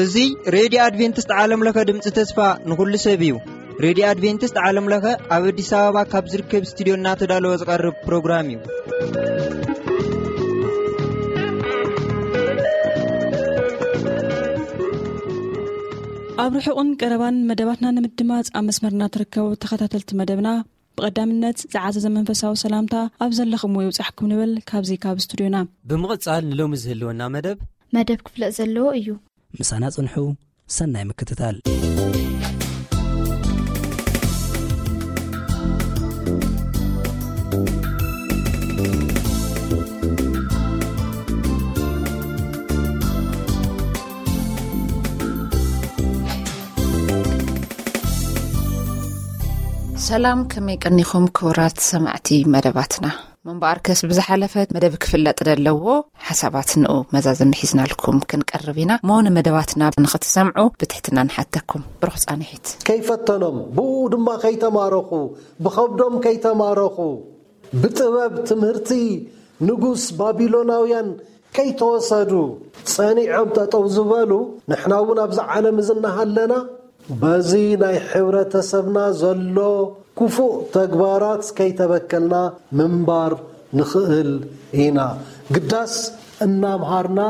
እዚ ሬድዮ ኣድቬንቲስት ዓለም ለኸ ድምፂ ተስፋ ንኹሉ ሰብ እዩ። ሬድዮ ኣድቬንቲስት ዓለም ለኸ ኣብ ኣዲስ ኣበባ ካብ ዝርከብ ስቱዲዮ እናተዳለወ ዝቐርብ ፕሮግራም እዩ። ኣብ ርሑቕን ቀረባን መደባትና ንምድማፅ ኣብ መስመርና ትርከቡ ተኸታተልቲ መደብና፣ ብቐዳምነት ዝዓዘዘ መንፈሳዊ ሰላምታ ኣብ ዘለኹምዎ ይብጻሕኩም ንብል ካብዚ ካብ ስቱዲዮና። ብምቕጻል ንሎሚ ዝህልወና መደብ መደብ ክፍለጥ ዘለዎ እዩ። ምሳና ጽንሑ፣ ሰናይ ምክትታል። ሰላም፣ ከመይ ቀኒኹም ክቡራት ሰማዕቲ መደባትና? ምንባርከስ ብዝሓለፈ መደብ ክፍለጥ ዘለዎ ሓሳባት ንኡ መዛዘሚ ሒዝናልኩም ክንቀርብ ኢና። እሞ ንመደባትና ንኽትሰምዑ ብትሕትና ንሓተኩም። ብሩኽ ጻንሒት። ከይፈተኖም፣ ብኡ ድማ ከይተማረኹ፣ ብኸብዶም ከይተማረኹ፣ ብጥበብ ትምህርቲ ንጉስ ባቢሎናውያን ከይተወሰዱ ጸኒዖም ጠጠው ዝበሉ፣ ንሕና እውን ኣብዚ ዓለም እዚ እናሃለና በዚ ናይ ሕብረተሰብና ዘሎ ክፉእ ተግባራት ከይተበከልና ምንባር ንኽእል ኢና። ግዳስ እናምሃርና፣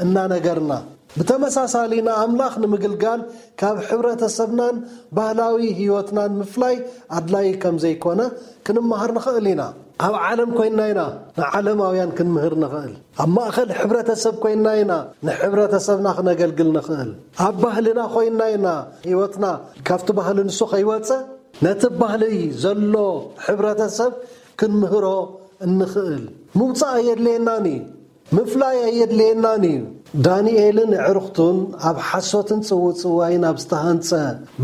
እናነገርና። ብተመሳሳሊ ንኣምላኽ ንምግልጋል ካብ ሕብረተሰብናን ባህላዊ ህይወትናን ምፍላይ ኣድላዪ ከም ዘይኮነ ክንመሃር ንኽእል ኢና። ኣብ ዓለም ኮይንና ኢና ንዓለማውያን ክንምህር ንኽእል። ኣብ ማእከል ሕብረተሰብ ኮይንና ኢና ንሕብረተሰብና ክነገልግል ንኽእል። ኣብ ባህልና ኮይንና ኢና ህይወትና ካብቲ ባህሊ ንሱ ከይወጸ ነቲ ባህሊ ዘሎ ሕብረተሰብ ክንምህሮ እንኽእል። ምውጻእ ኣየድልየናን እዩ። ምፍላይ ኣየድልየናን እዩ። ዳንኤልን ኣዕሩኽቱን ኣብ ሓሶትን ጽውጽዋይን ኣብ ዝተሃንጸ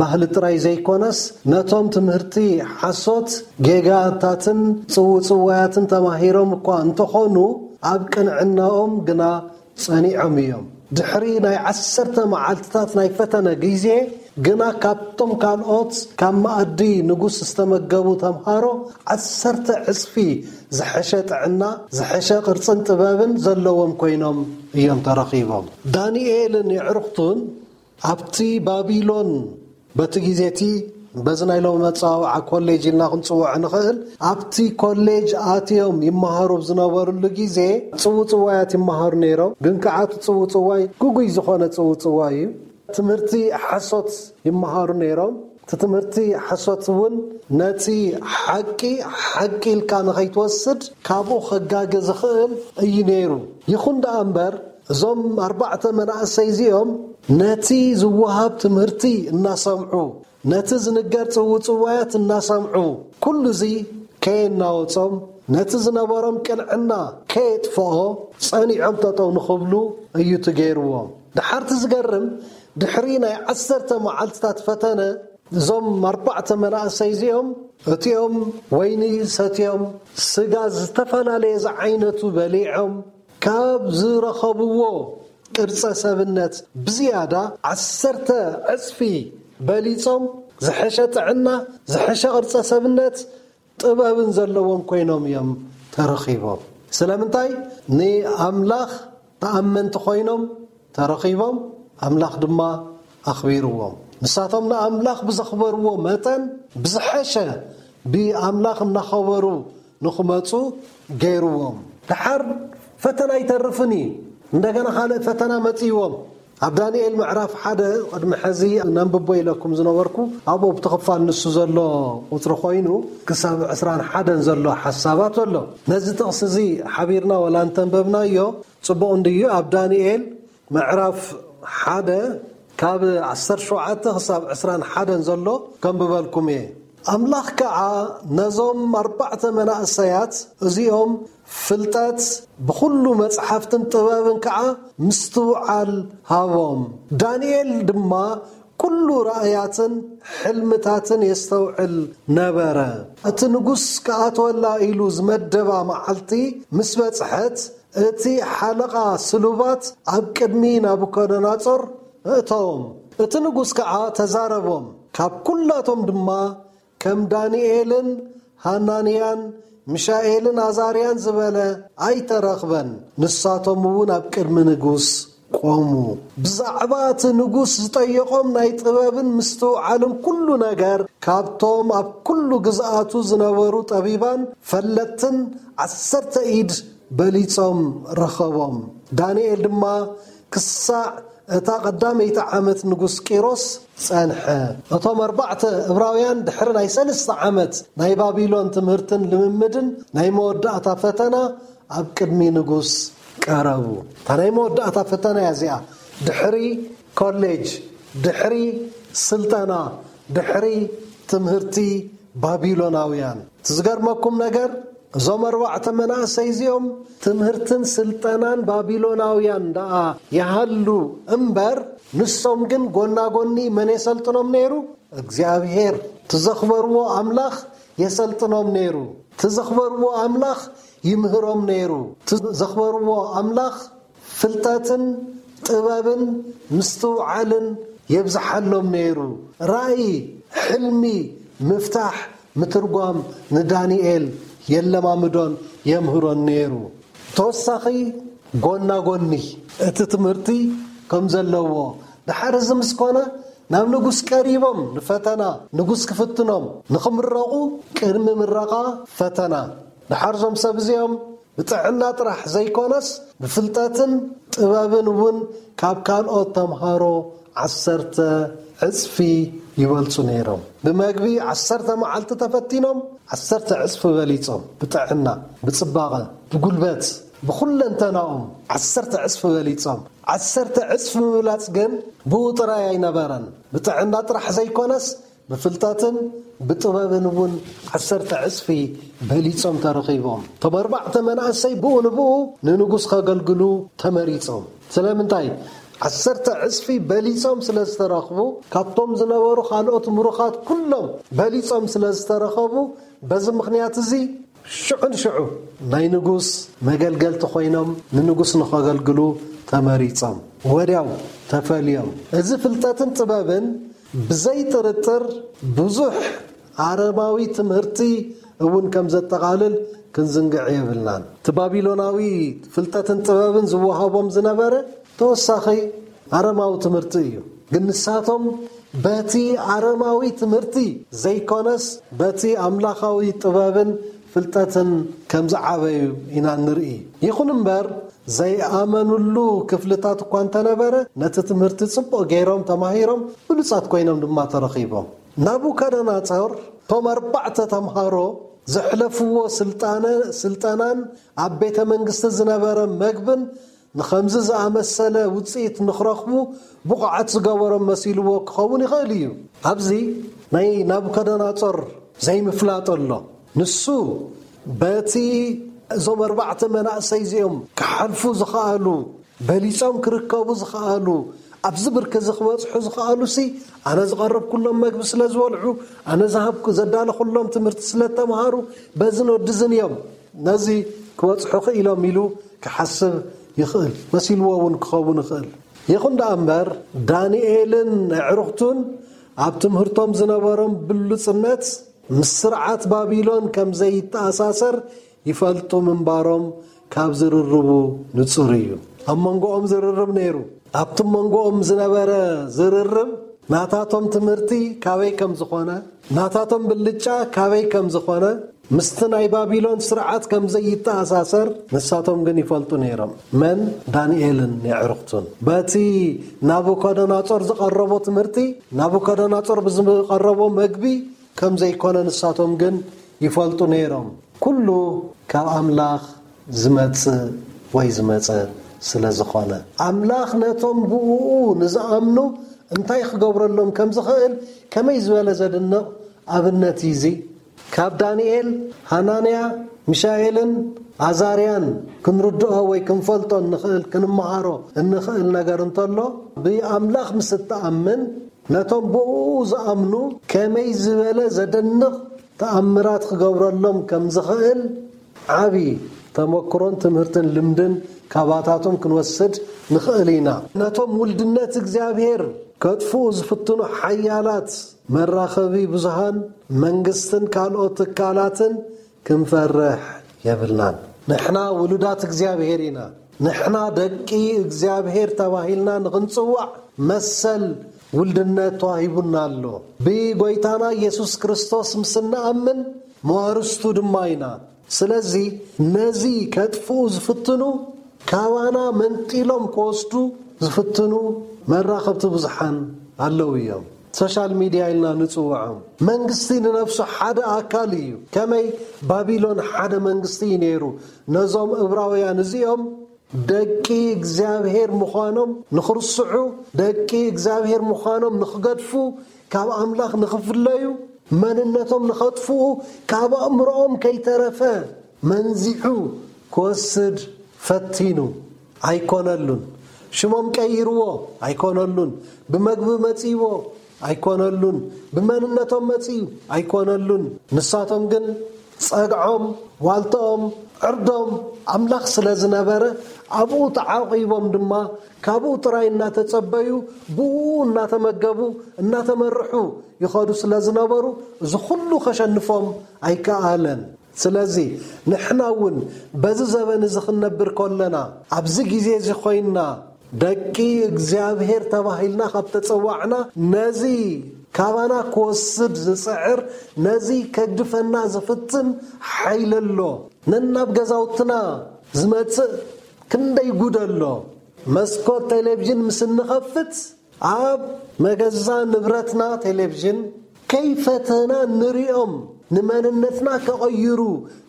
ባህሊ ጥራይ ዘይኮነስ፣ ነቶም ትምህርቲ ሓሶት፣ ጌጋታትን ጽውጽዋያትን ተማሂሮም እኳ እንተኾኑ፣ ኣብ ቅንዕናኦም ግና ጸኒዖም እዮም። ድሕሪ ናይ ዓሰርተ መዓልትታት ናይ ፈተነ ግዜ ግና፣ ካብቶም ካልኦት ካብ መኣዲ ንጉስ ዝተመገቡ ተምሃሮ ዓሰርተ ዕጽፊ ዝሐሸ ጥዕና፣ ዝሐሸ ቅርጽን ጥበብን ዘለዎም ኮይኖም እዮም ተረኺቦም። ዳንኤልን የዕሩኽቱን ኣብቲ ባቢሎን፣ በቲ ግዜ እቲ፣ በዚ ናይ ሎሚ መጸዋውዓ ኮሌጅ ኢልና ክንጽውዖ ንኽእል፣ ኣብቲ ኮሌጅ ኣትዮም ይመሃሩ ኣብ ዝነበሩሉ ግዜ፣ ጽውጽዋያት ይመሃሩ ነይሮም። ግን ከኣ እቲ ጽውጽዋይ ግጉይ ዝኾነ ጽውጽዋይ እዩ። ትምህርቲ ሓሶት ይመሃሩ ነይሮም። እቲ ትምህርቲ ሓሶት እውን ነቲ ሓቂ ሓቂ ኢልካ ንኸይትወስድ ካብኡ ከጋገ ዝኽእል እዩ ነይሩ። ይኹን ደኣ እምበር፣ እዞም ኣርባዕተ መናእሰይ እዚኦም ነቲ ዝወሃብ ትምህርቲ እናሰምዑ፣ ነቲ ዝንገር ጽውጽዋያት እናሰምዑ፣ ኩሉ እዚ ከየናወጾም፣ ነቲ ዝነበሮም ቅንዕና ከየጥፍኦ ጸኒዖም ጠጠው ንኽብሉ እዩ እቲ ገይርዎም። ደሓር እቲ ዝገርም፣ ድሕሪ ናይ ዓሰርተ መዓልትታት ፈተነ፣ እዞም ኣርባዕተ መናእሰይ እዚኦም፣ እቲኦም ወይኒ ሰትዮም፣ ስጋ ዝተፈላለየ ዝዓይነቱ በሊዖም፣ ካብ ዝረኸብዎ ቅርጸ ሰብነት ብዝያዳ ዓሰርተ ዕጽፊ በሊጾም፣ ዝሐሸ ጥዕና፣ ዝሐሸ ቅርጸ ሰብነት፣ ጥበብን ዘለዎም ኮይኖም እዮም ተረኺቦም። ስለምንታይ? ንኣምላኽ ተኣመንቲ ኮይኖም ተረኺቦም፣ ኣምላኽ ድማ ኣኽቢርዎም። ንሳቶም ንኣምላኽ ብዘኽበርዎ መጠን፣ ብዝሐሸ ብኣምላኽ እናኸበሩ ንኽመጹ ገይርዎም። ደሓር ፈተና ኣይተርፍን እዩ። እንደገና ካልእ ፈተና መጺእዎም። ኣብ ዳንኤል ምዕራፍ ሓደ፣ ቅድሚ ሕዚ ነንብቦ ኢለኩም ዝነበርኩ፣ ኣብኡ ኣብቲ ክፋል ንሱ ዘሎ ቁጽሪ ኮይኑ፣ ክሳብ ዕስራን ሓደን ዘሎ ሓሳባት ኣሎ። ነዚ ጥቕሲ እዚ ሓቢርና ወላ እንተንበብናዮ ጽቡቕ እንድዩ። ኣብ ዳንኤል ምዕራፍ ሓደ ካብ ዓሰርተ ሸውዓተ ክሳብ ዕስራን ሓደን ዘሎ ከንብበልኩም እየ። ኣምላኽ ከኣ ነዞም ኣርባዕተ መናእሰያት እዚኦም ፍልጠት ብኹሉ መጽሓፍትን ጥበብን ከኣ ምስትውዓል ሃቦም። ዳንኤል ድማ ኩሉ ራእያትን ሕልምታትን የስተውዕል ነበረ። እቲ ንጉስ ክኣትወላ ኢሉ ዝመደባ መዓልቲ ምስ በጽሐት፣ እቲ ሓለቓ ስሉባት ኣብ ቅድሚ ናቡከደነጾር እእተዎም። እቲ ንጉስ ከኣ ተዛረቦም፣ ካብ ኩላቶም ድማ ከም ዳንኤልን ሃናንያን ሚሻኤልን ኣዛርያን ዝበለ ኣይተረኽበን። ንሳቶም እውን ኣብ ቅድሚ ንጉስ ቆሙ። ብዛዕባ እቲ ንጉስ ዝጠየቖም ናይ ጥበብን ምስትውዓልን ኩሉ ነገር ካብቶም ኣብ ኩሉ ግዝኣቱ ዝነበሩ ጠቢባን ፈለጥትን ዓሰርተ ኢድ በሊጾም ረኸቦም። ዳንኤል ድማ ክሳዕ እታ ቀዳመይቲ ዓመት ንጉስ ቂሮስ ጸንሐ። እቶም ኣርባዕተ እብራውያን ድሕሪ ናይ ሰለስተ ዓመት ናይ ባቢሎን ትምህርትን ልምምድን ናይ መወዳእታ ፈተና ኣብ ቅድሚ ንጉስ ቀረቡ። እታ ናይ መወዳእታ ፈተና እያ እዚኣ። ድሕሪ ኮሌጅ፣ ድሕሪ ስልጠና፣ ድሕሪ ትምህርቲ ባቢሎናውያን። እቲ ዝገርመኩም ነገር፣ እዞም ኣርባዕተ መናእሰይ እዚኦም ትምህርትን ስልጠናን ባቢሎናውያን ደኣ ይሃሉ እምበር፣ ንሶም ግን ጎና ጎኒ መን የሰልጥኖም ነይሩ? እግዚኣብሔር። እቲ ዘኽበርዎ ኣምላኽ የሰልጥኖም ነይሩ። እቲ ዘኽበርዎ ኣምላኽ ይምህሮም ነይሩ። እቲ ዘኽበርዎ ኣምላኽ ፍልጠትን ጥበብን ምስትውዓልን የብዝሓሎም ነይሩ። ራእይ፣ ሕልሚ ምፍታሕ፣ ምትርጓም ንዳንኤል የለማምዶን የምህሮን ነይሩ። ተወሳኺ፣ ጎና ጎኒ እቲ ትምህርቲ ከም ዘለዎ፣ ድሓር እዚ ምስ ኮነ፣ ናብ ንጉስ ቀሪቦም ንፈተና ንጉስ ክፍትኖም፣ ንኽምረቑ፣ ቅድሚ ምረቓ ፈተና። ድሓር እዞም ሰብ እዚኦም ብጥዕና ጥራሕ ዘይኮነስ፣ ብፍልጠትን ጥበብን እውን ካብ ካልኦት ተምሃሮ ዓሰርተ ዕጽፊ ይበልጹ ነይሮም። ብመግቢ ዓሰርተ መዓልቲ ተፈቲኖም፣ ዓሰርተ ዕጽፊ በሊጾም። ብጥዕና፣ ብጽባቐ፣ ብጉልበት፣ ብኹለንተናኦም ዓሰርተ ዕጽፊ በሊጾም። ዓሰርተ ዕጽፊ ምብላጽ ግን ብኡ ጥራይ ኣይነበረን። ብጥዕና ጥራሕ ዘይኮነስ፣ ብፍልጠትን ብጥበብን እውን ዓሰርተ ዕጽፊ በሊጾም ተረኺቦም። እቶም ኣርባዕተ መናእሰይ ብኡ ንብኡ ንንጉስ ከገልግሉ ተመሪጾም። ስለምንታይ? ዓሰርተ ዕጽፊ በሊጾም ስለ ዝተረኽቡ፣ ካብቶም ዝነበሩ ካልኦት ምሩኻት ኩሎም በሊጾም ስለ ዝተረኸቡ፣ በዚ ምኽንያት እዚ ሽዑ ንሽዑ ናይ ንጉስ መገልገልቲ ኮይኖም ንንጉስ ንኸገልግሉ ተመሪጾም። ወዲያው ተፈልዮም። እዚ ፍልጠትን ጥበብን ብዘይ ጥርጥር ብዙሕ ኣረማዊ ትምህርቲ እውን ከም ዘጠቓልል ክንዝንግዕ የብልናን። እቲ ባቢሎናዊ ፍልጠትን ጥበብን ዝወሃቦም ዝነበረ ተወሳኺ ኣረማዊ ትምህርቲ እዩ። ግን ንሳቶም በቲ ኣረማዊ ትምህርቲ ዘይኮነስ፣ በቲ ኣምላኻዊ ጥበብን ፍልጠትን ከም ዝዓበዩ ኢና ንርኢ። ይኹን እምበር፣ ዘይኣመኑሉ ክፍልታት እኳ እንተነበረ፣ ነቲ ትምህርቲ ጽቡቕ ገይሮም ተማሂሮም፣ ብሉጻት ኮይኖም ድማ ተረኺቦም። ናቡከደነጾር፣ እቶም ኣርባዕተ ተምሃሮ ዘሕለፍዎ ስልጣነ-፣ ስልጠናን ኣብ ቤተ መንግስቲ ዝነበረ መግብን ንኸምዚ ዝኣመሰለ ውጽኢት ንኽረኽቡ ብቑዓት ዝገበሮም መሲልዎ ክኸውን ይኽእል እዩ። ኣብዚ ናይ ናቡከደነጾር ዘይምፍላጥ ኣሎ። ንሱ በቲ እዞም ኣርባዕተ መናእሰይ እዚኦም ክሓልፉ ዝኸኣሉ፣ በሊጾም ክርከቡ ዝኸኣሉ፣ ኣብዚ ብርኪ እዚ ክበጽሑ ዝኸኣሉሲ፣ ኣነ ዝቐረብኩሎም መግቢ ስለ ዝበልዑ፣ ኣነ ዝሃብኩ-፣ ዘዳለኹሎም ትምህርቲ ስለ እተምሃሩ፣ በዝን ወድዝን እዮም ነዚ ክበጽሑ ክኢሎም ኢሉ ክሓስብ ይኽእል፣ መሲልዎ እውን ክኸውን ይኽእል። ይኹን ደኣ እምበር፣ ዳንኤልን ኣዕሩኽቱን ኣብ ትምህርቶም ዝነበሮም ብሉጽነት ምስ ስርዓት ባቢሎን ከም ዘይተኣሳሰር ይፈልጡ ምንባሮም ካብ ዝርርቡ ንጹር እዩ። ኣብ መንጎኦም ዝርርብ ነይሩ። ኣብቲ መንጎኦም ዝነበረ ዝርርብ ናታቶም ትምህርቲ ካበይ ከም ዝኾነ፣ ናታቶም ብልጫ ካበይ ከም ዝኾነ፣ ምስቲ ናይ ባቢሎን ስርዓት ከም ዘይተኣሳሰር ንሳቶም ግን ይፈልጡ ነይሮም። መን? ዳንኤልን የዕሩኽቱን። በቲ ናቡከደነጾር ዝቐረቦ ትምህርቲ፣ ናቡከደነጾር ብዝቐረቦ መግቢ ከም ዘይኮነ ንሳቶም ግን ይፈልጡ ነይሮም። ኩሉ ካብ ኣምላኽ ዝመጽእ ወይ ዝመጸ ስለ ዝኾነ፣ ኣምላኽ ነቶም ብእኡ ንዝኣምኑ እንታይ ክገብረሎም ከም ዝኽእል ከመይ ዝበለ ዘድንቕ ኣብነት እዩ እዚ! ካብ ዳንኤል፣ ሃናንያ፣ ሚሻኤልን ኣዛርያን ክንርድኦ ወይ ክንፈልጦ እንኽእል፣ ክንመሃሮ እንኽእል ነገር እንተሎ፣ ብኣምላኽ ምስ እትኣምን፣ ነቶም ብእኡ ዝኣምኑ ከመይ ዝበለ ዘደንቕ ተኣምራት ክገብረሎም ከም ዝኽእል ዓቢ ተመክሮን ትምህርትን ልምድን ካባታቶም ክንወስድ ንኽእል ኢና። ነቶም ውልድነት እግዚኣብሔር ከጥፍኡ ዝፍትኑ ሓያላት መራኸቢ ብዙሃን፣ መንግስትን ካልኦት ትካላትን ክንፈርሕ የብልናን። ንሕና ውሉዳት እግዚኣብሔር ኢና። ንሕና ደቂ እግዚኣብሔር ተባሂልና ንኽንጽዋዕ መሰል ውልድነት ተዋሂቡና ኣሎ። ብጎይታና ኢየሱስ ክርስቶስ ምስ እንኣምን መዋርስቱ ድማ ኢና። ስለዚ ነዚ ከጥፍኡ ዝፍትኑ፣ ካባና መንጢሎም ክወስዱ ዝፍትኑ መራኸብቲ ብዙሓን ኣለዉ እዮም። ሶሻል ሚድያ ኢልና ንጽውዖም። መንግስቲ ንነፍሱ ሓደ ኣካል እዩ። ከመይ ባቢሎን ሓደ መንግስቲ እዩ ነይሩ። ነዞም እብራውያን እዚኦም ደቂ እግዚኣብሔር ምዃኖም ንኽርስዑ፣ ደቂ እግዚኣብሔር ምዃኖም ንኽገድፉ፣ ካብ ኣምላኽ ንኽፍለዩ፣ መንነቶም ንኸጥፍኡ፣ ካብ ኣእምሮኦም ከይተረፈ መንዚዑ ክወስድ ፈቲኑ። ኣይኮነሉን። ሽሞም ቀይርዎ። ኣይኮነሉን። ብመግቢ መጺዎ። ኣይኮነሉን። ብመንነቶም መጺኡ። ኣይኮነሉን። ንሳቶም ግን ጸግዖም፣ ዋልታኦም፣ ዕርዶም ኣምላኽ ስለ ዝነበረ፣ ኣብኡ ተዓቂቦም ድማ ካብኡ ጥራይ እናተጸበዩ፣ ብኡ እናተመገቡ፣ እናተመርሑ ይኸዱ ስለ ዝነበሩ፣ እዚ ኩሉ ከሸንፎም ኣይከኣለን። ስለዚ ንሕና እውን በዚ ዘበን እዚ ክንነብር ከለና፣ ኣብዚ ግዜ እዚ ኮይንና ደቂ እግዚኣብሔር ተባሂልና ካብ ተጸዋዕና፣ ነዚ ካባና ክወስድ ዝጽዕር፣ ነዚ ከግድፈና ዝፍትን ሓይሊ ኣሎ። ነናብ ገዛውትና ዝመጽእ ክንደይ ጉድ ኣሎ። መስኮት ቴሌቪዥን ምስ እንኸፍት፣ ኣብ መገዛ ንብረትና ቴሌቪዥን ከይፈተና ንሪኦም፣ ንመንነትና ከቐይሩ፣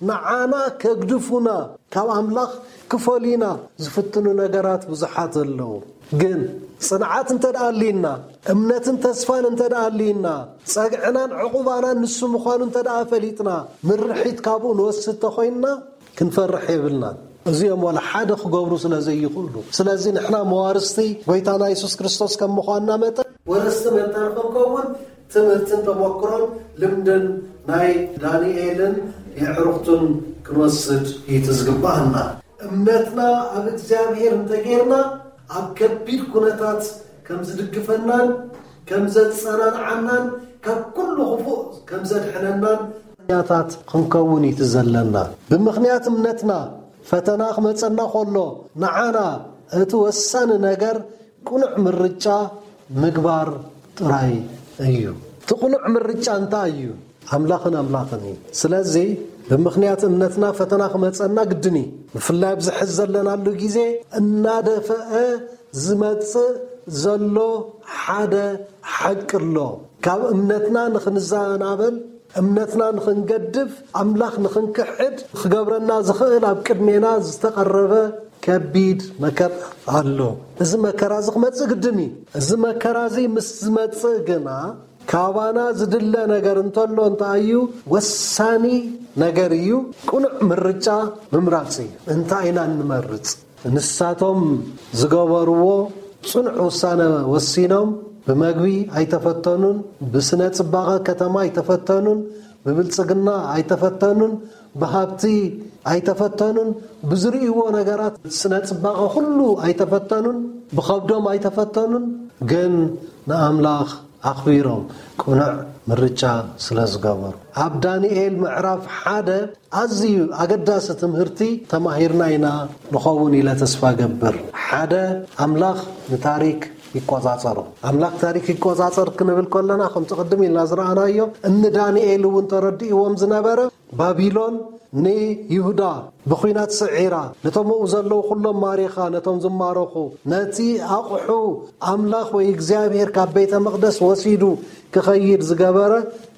ንዓና ከግድፉና፣ ካብ ኣምላኽ ክፈልዩና ዝፍትኑ ነገራት ብዙሓት ኣለዉ። ግን ጽንዓት እንተ ደኣ ኣልዩና፣ እምነትን ተስፋን እንተ ደኣ ኣልዩና፣ ጸግዕናን ዕቑባናን ንሱ ምዃኑ እንተ ደኣ ፈሊጥና፣ ምርሒት ካብኡ ንወስድ ተኾይንና፣ ክንፈርሕ የብልናን። እዚኦም ዋላ ሓደ ክገብሩ ስለ ዘይኽእሉ። ስለዚ ንሕና መዋርስቲ ጎይታና የሱስ ክርስቶስ ከም ምዃንና መጠን፣ ወረስቲ መታን ክንከውን ትምህርትን ተመክሮን ልምድን ናይ ዳንኤልን የዕሩኽቱን ክንወስድ እዩ እቲ ዝግባኣና። እምነትና ኣብ እግዚኣብሔር እንተጌርና፣ ኣብ ከቢድ ኩነታት ከም ዝድግፈናን ከም ዘጸናንዓናን ካብ ኩሉ ክፉእ ከም ዘድሕነናን ምኽንያታት ክንከውን እዩ እቲ ዘለና። ብምኽንያት እምነትና ፈተና ክመጸና ከሎ፣ ንዓና እቲ ወሳኒ ነገር ቅኑዕ ምርጫ ምግባር ጥራይ እዩ። እቲ ቅኑዕ ምርጫ እንታይ እዩ? ኣምላኽን ኣምላኽን እዩ። ስለዚ ብምኽንያት እምነትና ፈተና ክመጸና ግድን እዩ። ብፍላይ ኣብዚ ሕዚ ዘለናሉ ግዜ እናደፈአ ዝመጽእ ዘሎ ሓደ ሓቂ ኣሎ። ካብ እምነትና ንኽንዘናበል፣ እምነትና ንኽንገድፍ፣ ኣምላኽ ንኽንክሕድ ክገብረና ዝኽእል ኣብ ቅድሜና ዝተቐረበ ከቢድ መከራ ኣሎ። እዚ መከራ እዚ ክመጽእ ግድን እዩ። እዚ መከራ እዚ ምስ ዝመጽእ ግና፣ ካባና ዝድለ ነገር እንተሎ እንታይ እዩ? ወሳኒ ነገር እዩ። ቅኑዕ ምርጫ ምምራጽ እዩ። እንታይ ኢና እንመርጽ? ንሳቶም ዝገበርዎ ጽኑዕ ውሳነ ወሲኖም። ብመግቢ ኣይተፈተኑን፣ ብስነ ጽባቐ ከተማ ኣይተፈተኑን፣ ብብልጽግና ኣይተፈተኑን፣ ብሃብቲ ኣይተፈተኑን፣ ብዝርእይዎ ነገራት ስነ ጽባቐ ኩሉ ኣይተፈተኑን፣ ብኸብዶም ኣይተፈተኑን፣ ግን ንኣምላኽ ኣኽቢሮም ቅኑዕ ምርጫ ስለ ዝገበሩ። ኣብ ዳንኤል ምዕራፍ ሓደ ኣዝዩ ኣገዳሲ ትምህርቲ ተማሂርና ኢና ንኸውን ኢለ ተስፋ ገብር። ሓደ፣ ኣምላኽ ንታሪክ ይቆጻጸሮ። ኣምላኽ ታሪክ ይቆጻጸር ክንብል ከለና፣ ከምቲ ቅድም ኢልና ዝረኣናዮ፣ እኒ ዳንኤል እውን ተረዲእዎም ዝነበረ፣ ባቢሎን ንይሁዳ ብኹናት ስዒራ፣ ነቶም ኣብኡ ዘለዉ ኩሎም ማሪኻ፣ ነቶም ዝማረኹ፣ ነቲ ኣቑሑ ኣምላኽ ወይ እግዚኣብሔር ካብ ቤተ መቕደስ ወሲዱ ክኸይድ ዝገበረ፣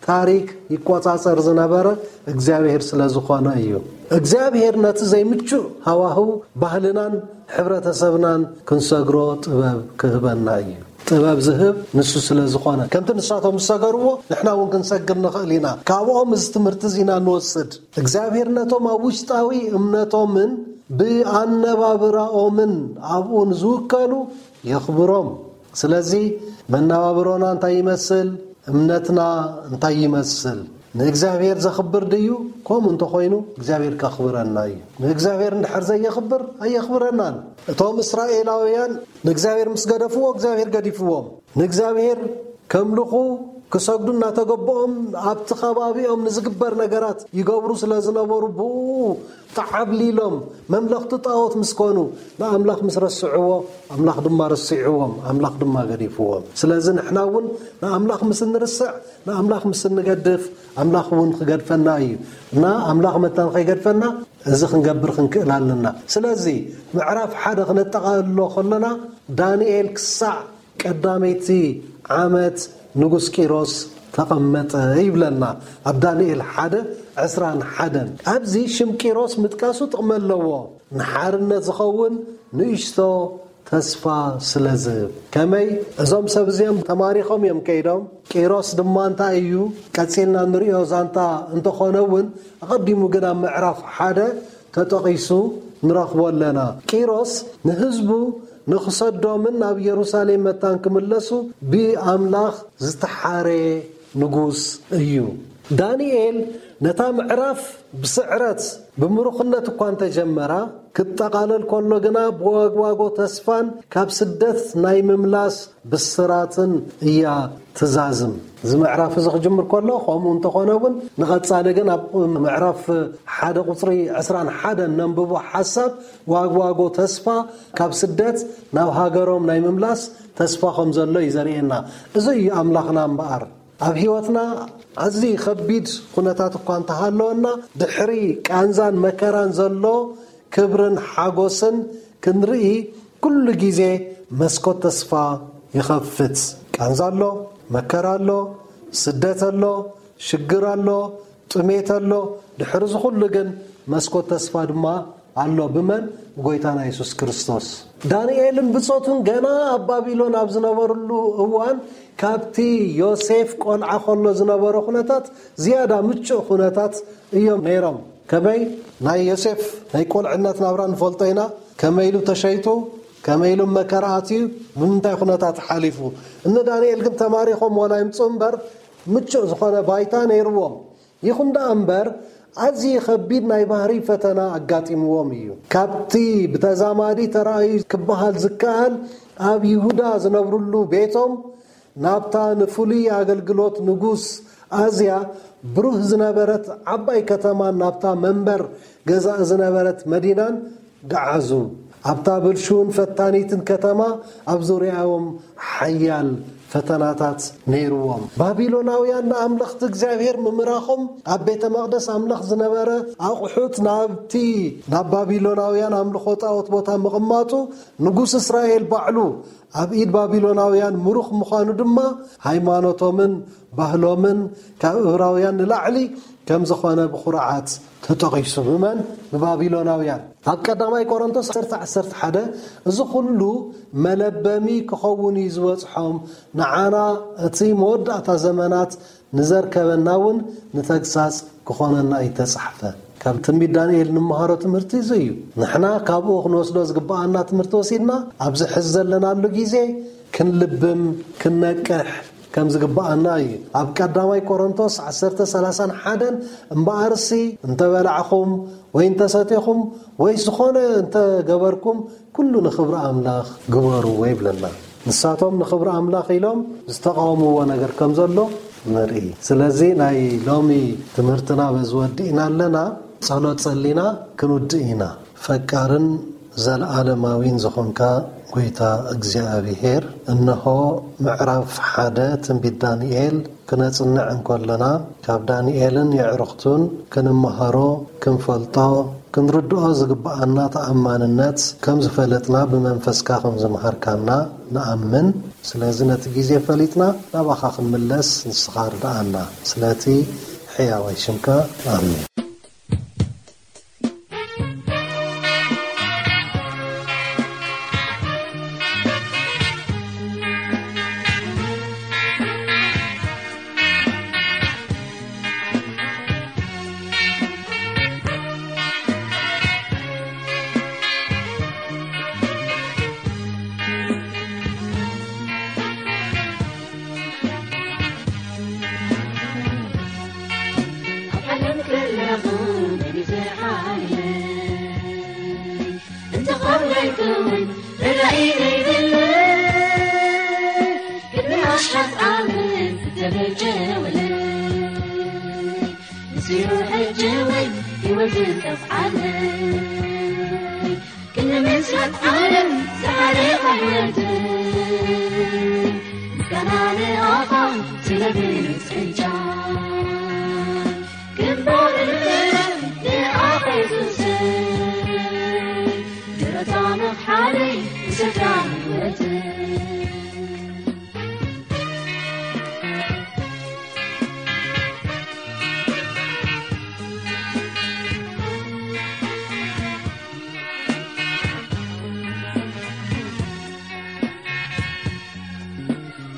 ታሪክ ይቆጻጸር ዝነበረ እግዚኣብሔር ስለ ዝኾነ እዩ። እግዚኣብሔር ነቲ ዘይምቹእ ሃዋህው ባህልናን ሕብረተሰብናን ክንሰግሮ ጥበብ ክህበና እዩ። ጥበብ ዝህብ ንሱ ስለ ዝኾነ፣ ከምቲ ንሳቶም ዝሰገርዎ ንሕና እውን ክንሰግር ንኽእል ኢና። ካብኦም እዚ ትምህርቲ እዚ ኢና ንወስድ። እግዚኣብሔር ነቶም ኣብ ውሽጣዊ እምነቶምን ብኣነባብራኦምን ኣብኡ ንዝውከሉ የኽብሮም። ስለዚ መነባብሮና እንታይ ይመስል? እምነትና እንታይ ይመስል? ንእግዚኣብሔር ዘኽብር ድዩ? ከምኡ እንተኾይኑ እግዚኣብሔር ከኽብረና እዩ። ንእግዚኣብሔር እንድሕር ዘየኽብር ኣየኽብረናን። እቶም እስራኤላውያን ንእግዚኣብሔር ምስ ገደፍዎ እግዚኣብሔር ገዲፍዎም። ንእግዚኣብሔር ከምልኹ ክሰግዱ እናተገበኦም ኣብቲ ከባቢኦም ንዝግበር ነገራት ይገብሩ ስለ ዝነበሩ ብኡ ተዓብሊሎም መምለኽቲ ጣዖት ምስ ኮኑ ንኣምላኽ ምስ ረስዕዎ ኣምላኽ ድማ ረሲዕዎም ኣምላኽ ድማ ገዲፍዎም። ስለዚ ንሕና እውን ንኣምላኽ ምስ እንርስዕ ንኣምላኽ ምስ እንገድፍ ኣምላኽ እውን ክገድፈና እዩ። እና ኣምላኽ መታን ከይገድፈና እዚ ክንገብር ክንክእል ኣለና። ስለዚ ምዕራፍ ሓደ ክነጠቓልሎ ከለና ዳንኤል ክሳዕ ቀዳመይቲ ዓመት ንጉስ ቂሮስ ተቐመጠ ይብለና ኣብ ዳንኤል ሓደ ዕስራን ሓደን። ኣብዚ ሽም ቂሮስ ምጥቃሱ ጥቕሚ ኣለዎ። ንሓርነት ዝኸውን ንእሽቶ ተስፋ ስለ ዝህብ። ከመይ እዞም ሰብ እዚኦም ተማሪኾም እዮም ከይዶም። ቂሮስ ድማ እንታይ እዩ ቀጺልና ንሪኦ ዛንታ እንተኾነ እውን ኣቐዲሙ ግን ኣብ ምዕራፍ ሓደ ተጠቒሱ ንረኽቦ ኣለና። ቂሮስ ንህዝቡ ንኽሰዶምን ናብ ኢየሩሳሌም መታን ክምለሱ ብኣምላኽ ዝተሓረ ንጉስ እዩ። ዳንኤል ነታ ምዕራፍ ብስዕረት ብምሩኽነት እኳ እንተጀመራ ክትጠቓለል ከሎ ግና ብዋግዋጎ ተስፋን ካብ ስደት ናይ ምምላስ ብስራትን እያ ትዛዝም። እዚ ምዕራፍ እዚ ክጅምር ከሎ ከምኡ እንተኾነ እውን ንቐጻሊ ግን ኣብ ምዕራፍ ሓደ ቁጽሪ ዕስራን ሓደን ነንብቦ ሓሳብ ዋግዋጎ ተስፋ ካብ ስደት ናብ ሃገሮም ናይ ምምላስ ተስፋ ከም ዘሎ እዩ ዘርእየና። እዚ እዩ ኣምላኽና እምበኣር ኣብ ህይወትና ኣዝዩ ከቢድ ኩነታት እኳ እንተሃለወና ድሕሪ ቃንዛን መከራን ዘሎ ክብርን ሓጎስን ክንርኢ ኩሉ ግዜ መስኮት ተስፋ ይኸፍት። ቃንዛ ኣሎ፣ መከራ ኣሎ፣ ስደት ኣሎ፣ ሽግር ኣሎ፣ ጥሜት ኣሎ። ድሕሪ እዚ ኩሉ ግን መስኮት ተስፋ ድማ ኣሎ። ብመን? ብጎይታና የሱስ ክርስቶስ። ዳንኤልን ብጾቱን ገና ኣብ ባቢሎን ኣብ ዝነበርሉ እዋን ካብቲ ዮሴፍ ቆልዓ ከሎ ዝነበረ ኩነታት ዝያዳ ምቹእ ኩነታት እዮም ነይሮም። ከመይ ናይ ዮሴፍ ናይ ቆልዕነት ናብራ ንፈልጦ ኢና። ከመይ ኢሉ ተሸይጡ፣ ከመይ ኢሉ መከራ ኣትዩ፣ ብምንታይ ኩነታት ሓሊፉ። እነ ዳንኤል ግን ተማሪኾም ዋላ ይምፁ እምበር ምቹእ ዝኾነ ባይታ ነይርዎም። ይኹን ደኣ እምበር ኣዝዩ ከቢድ ናይ ባህሪ ፈተና ኣጋጢምዎም እዩ። ካብቲ ብተዛማዲ ተራእዩ ክበሃል ዝከኣል ኣብ ይሁዳ ዝነብሩሉ ቤቶም ናብታ ንፍሉይ ኣገልግሎት ንጉስ ኣዝያ ብሩህ ዝነበረት ዓባይ ከተማን ናብታ መንበር ገዛእ ዝነበረት መዲናን ገዓዙ። ኣብታ ብልሹውን ፈታኒትን ከተማ ኣብ ዙርያኦም ሓያል ፈተናታት ነይርዎም። ባቢሎናውያን ንኣምለኽቲ እግዚኣብሔር ምምራኾም ኣብ ቤተ መቕደስ ኣምላኽ ዝነበረ ኣቑሑት ናብቲ ናብ ባቢሎናውያን ኣምልኾ ጣዖት ቦታ ምቕማጡ ንጉስ እስራኤል ባዕሉ ኣብ ኢድ ባቢሎናውያን ምሩኽ ምዃኑ ድማ ሃይማኖቶምን ባህሎምን ካብ እብራውያን ንላዕሊ ከም ዝኾነ ብኹርዓት ተጠቒሱ። ብመን? ብባቢሎናውያን። ኣብ ቀዳማይ ቆሮንቶስ ዓሰርተ ዓሰርተ ሓደ እዚ ኩሉ መለበሚ ክኸውን እዩ ዝበጽሖም፣ ንዓና እቲ መወዳእታ ዘመናት ንዘርከበና እውን ንተግሳጽ ክኾነና እዩ ተጻሕፈ። ካብ ትንቢት ዳንኤል ንምሃሮ ትምህርቲ እዚ እዩ። ንሕና ካብኡ ክንወስዶ ዝግብኣና ትምህርቲ ወሲድና ኣብዚ ሕዚ ዘለናሉ ግዜ ክንልብም ክንነቅሕ ከም ዝግብኣና እዩ። ኣብ ቀዳማይ ቆሮንቶስ ዓሰርተ ሰላሳን ሓደን እምበኣርሲ እንተበላዕኹም ወይ እንተሰቲኹም ወይ ዝኾነ እንተገበርኩም ኩሉ ንኽብሪ ኣምላኽ ግበርዎ ይብለና። ንሳቶም ንኽብሪ ኣምላኽ ኢሎም ዝተቓወምዎ ነገር ከም ዘሎ ንርኢ። ስለዚ ናይ ሎሚ ትምህርትና በዚ ወዲእና ኣለና። ጸሎት ጸሊና ክንውድእ ኢና። ፈቃርን ዘለዓለማዊን ዝኾንካ ጎይታ እግዚኣብሔር፣ እንሆ ምዕራፍ ሓደ ትንቢት ዳንኤል ክነጽንዕ እንከለና ካብ ዳንኤልን የዕሩኽቱን ክንመሃሮ፣ ክንፈልጦ፣ ክንርድኦ ዝግብኣና ተኣማንነት ከም ዝፈለጥና ብመንፈስካ ከም ዝመሃርካና ንኣምን። ስለዚ ነቲ ግዜ ፈሊጥና ናባኻ ክንምለስ ንስኻ ርድኣና። ስለቲ ሕያዋይ ሽምካ ኣሜን። ዘለኹ መን እዩ ዝሓልየይ? እንተኾለልኩ እውን ረዳኢ ዘይብለይ፣ ቅድሚ ኣሽሓት ዓመት ዝተበጀወለይ፣ ንሱ እዩ ሕጂ እውን ህይወት ዝጠፍዓለይ። ክንምስራት ዓለም ዝሓለፈ ህይወት፣ ምስጋና ንኣኻ ስለ ብሉጽ እጃ። ግንባር ንኣኻ የሱስ፣ ደረታ መኽሓለይ ንስድራ ህይወት።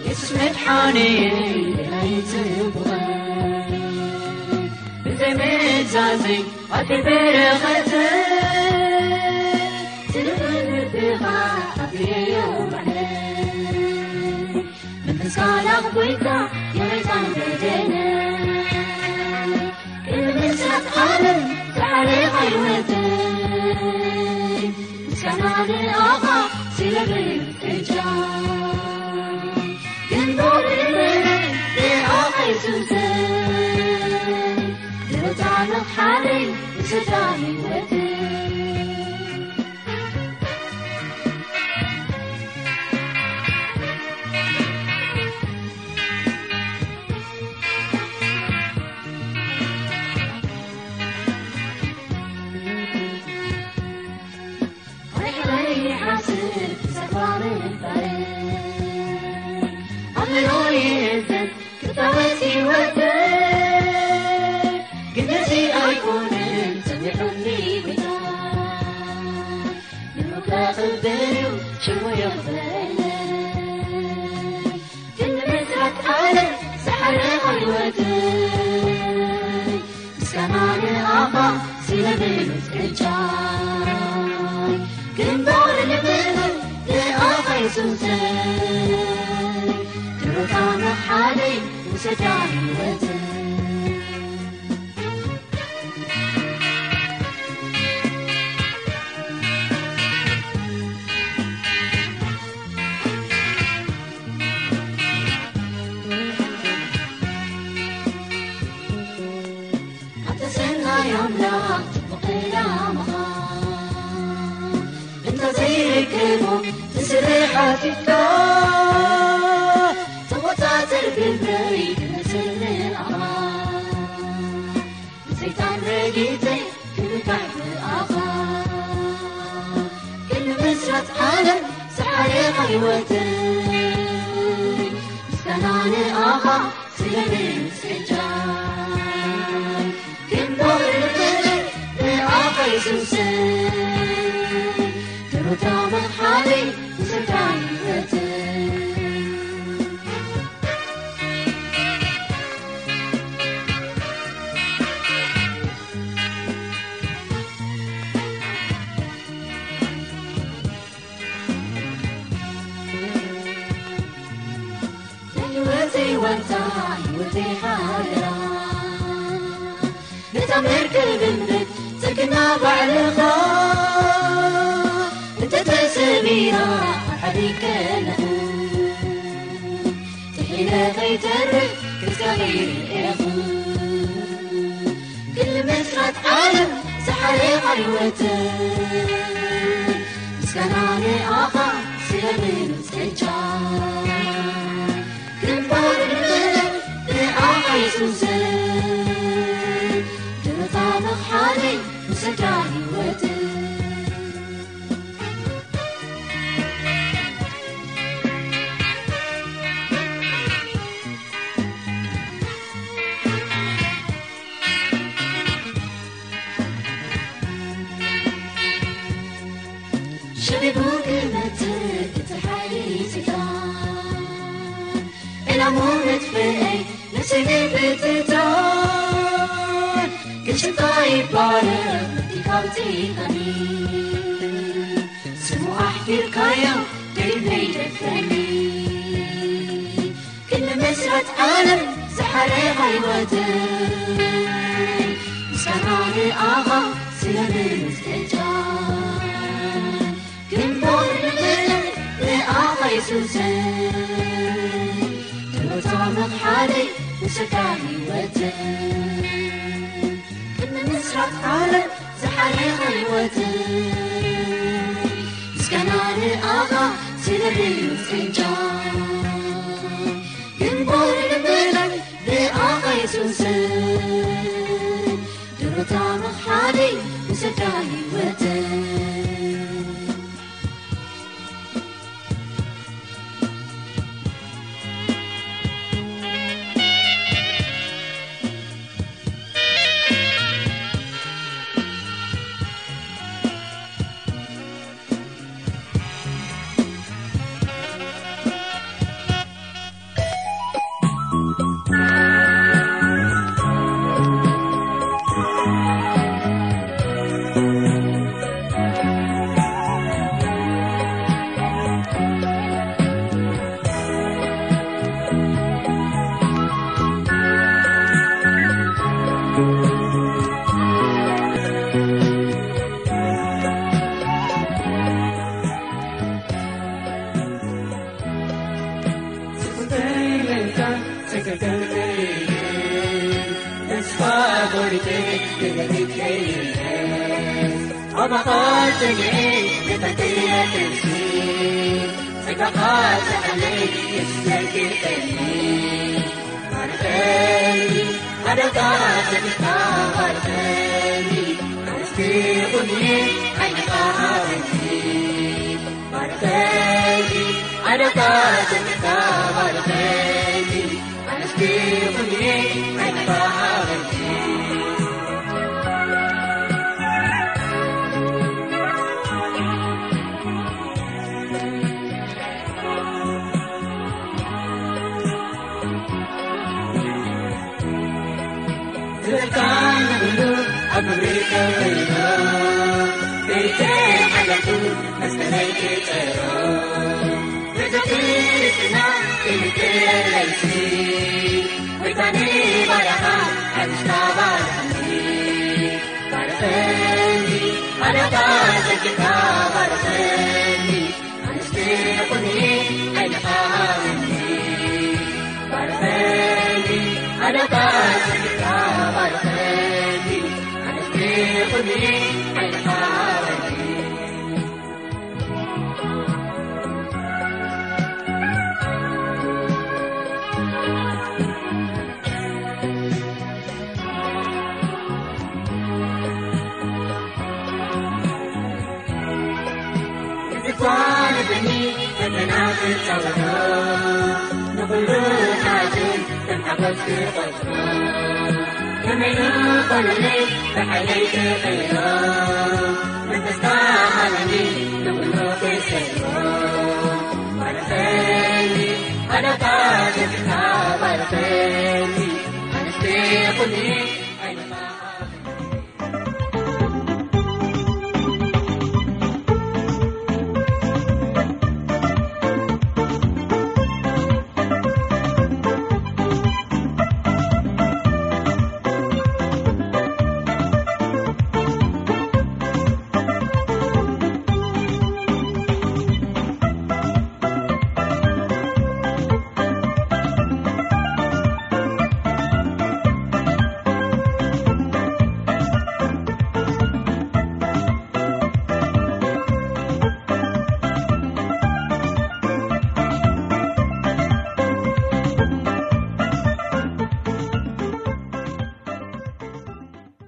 የሱስ መድሓኒ ኣይጽብቐ፣ ብዘይ ምእዛዘይ ኣትበረኸተ፣ ስለ ልብኻ ኣፍርየዮ ባዕለይ። መንፈስካ ላኽቦይካ የመይታን በደለ፣ ንምስራት ዓለም ዝሓለኻ ህይወተይ። ምስጋና ንኣኻ ስለ ብልጽጃ፣ ግንባር ንኣኻ የሱሰይ። ደረታ መኽሓለይ ንስድራ ህይወተይ። ርሕራይ ይሓስብ ተስፋ ምንባር፣ ኣእምሮ ይእዘዝ ክታወት ህይወት። ግን ነዚ ኣይኮነን ጸኒሑኒ ጎይታ፣ ንሩቕ ክብል እዩ ሽሙ የኽብረለይ። ግን ንምስራት ዓለም ዝሓለኻ ህይወተይ፣ ምስጋና ንኣኻ ስለ ብሉጽ እጃይ። ግንባር ልምልም ንኣኻ የሱሰይ፣ ድሮታ መሓለይ ውሰዳ ህይወተይ። ኣንተ ሰናይ ኣምላኽ ጽቡቕ ዕላማኻ እንተ ዘይርከቦ ትስርሕ ኣቲፍካ፣ ተቖጻጸር ግብረይ ክመስል ንኣኻ። ንሰይጣን ረጊጸ ክምካሕ ብኣኻ፣ ክንምስራት ዓለም ዝሓለኻ ህይወተይ። ምስጋና ንኣኻ ስለ ምጽጃይ፣ ግንባር ልበይ ንኣኻ የሱሰይ። ድሮታ መኽሓለይ ንስድራ ህይወተይ። ናይ ህይወተይ ዋልታ፣ ህይወተይ ሓደራ፣ ነታ መርከብ እምነት ጽግና ባዕልኻ እንተተሰቢራ፣ ኣብ ሓደጋ ከለኹ ጥሒለ ከይተርፍ ገጽካ ይርእየኹ። ክሊ መስራት ዓለም ዝሓለኻ ህይወተይ፣ ምስጋና ንኣኻ ስለ ምንጽጃ። ግንባር ልበይ ንኣኻ የሱሰይ፣ ድሮታ መኽሓለይ ንስድራ ህይወተይ። ሸቢቡ ክመጽእ እቲ ሓይሊ ሰይጣን፣ ዕላሙ መጥፍኤይ ነፍሰይ ምብትታን። ግን ሽምካ ይባረኽ መቲካ ኣውጺእካኒ፣ ስሙ ኣሕፊርካዮ ደይበይ ደፍረኒ። ክንምስራት ዓለም ዝሓለኻ ህይወተይ፣ ኣኻ ስለምንስተጃ ግንቦር ንቕልዕ ንኣኻ የሱሰ ድሮታ መኽሓደይ ውሰካ ህይወት ቅድሚ ምስራት ዓለም ዝሓለኸ ህይወት ምስጋና ንኣኻ ስለምንስተጃ ግንቦር ንቕልዕ ንኣኻ የሱሰ ድሮታ መኽሓደይ ውሰካ ህይወት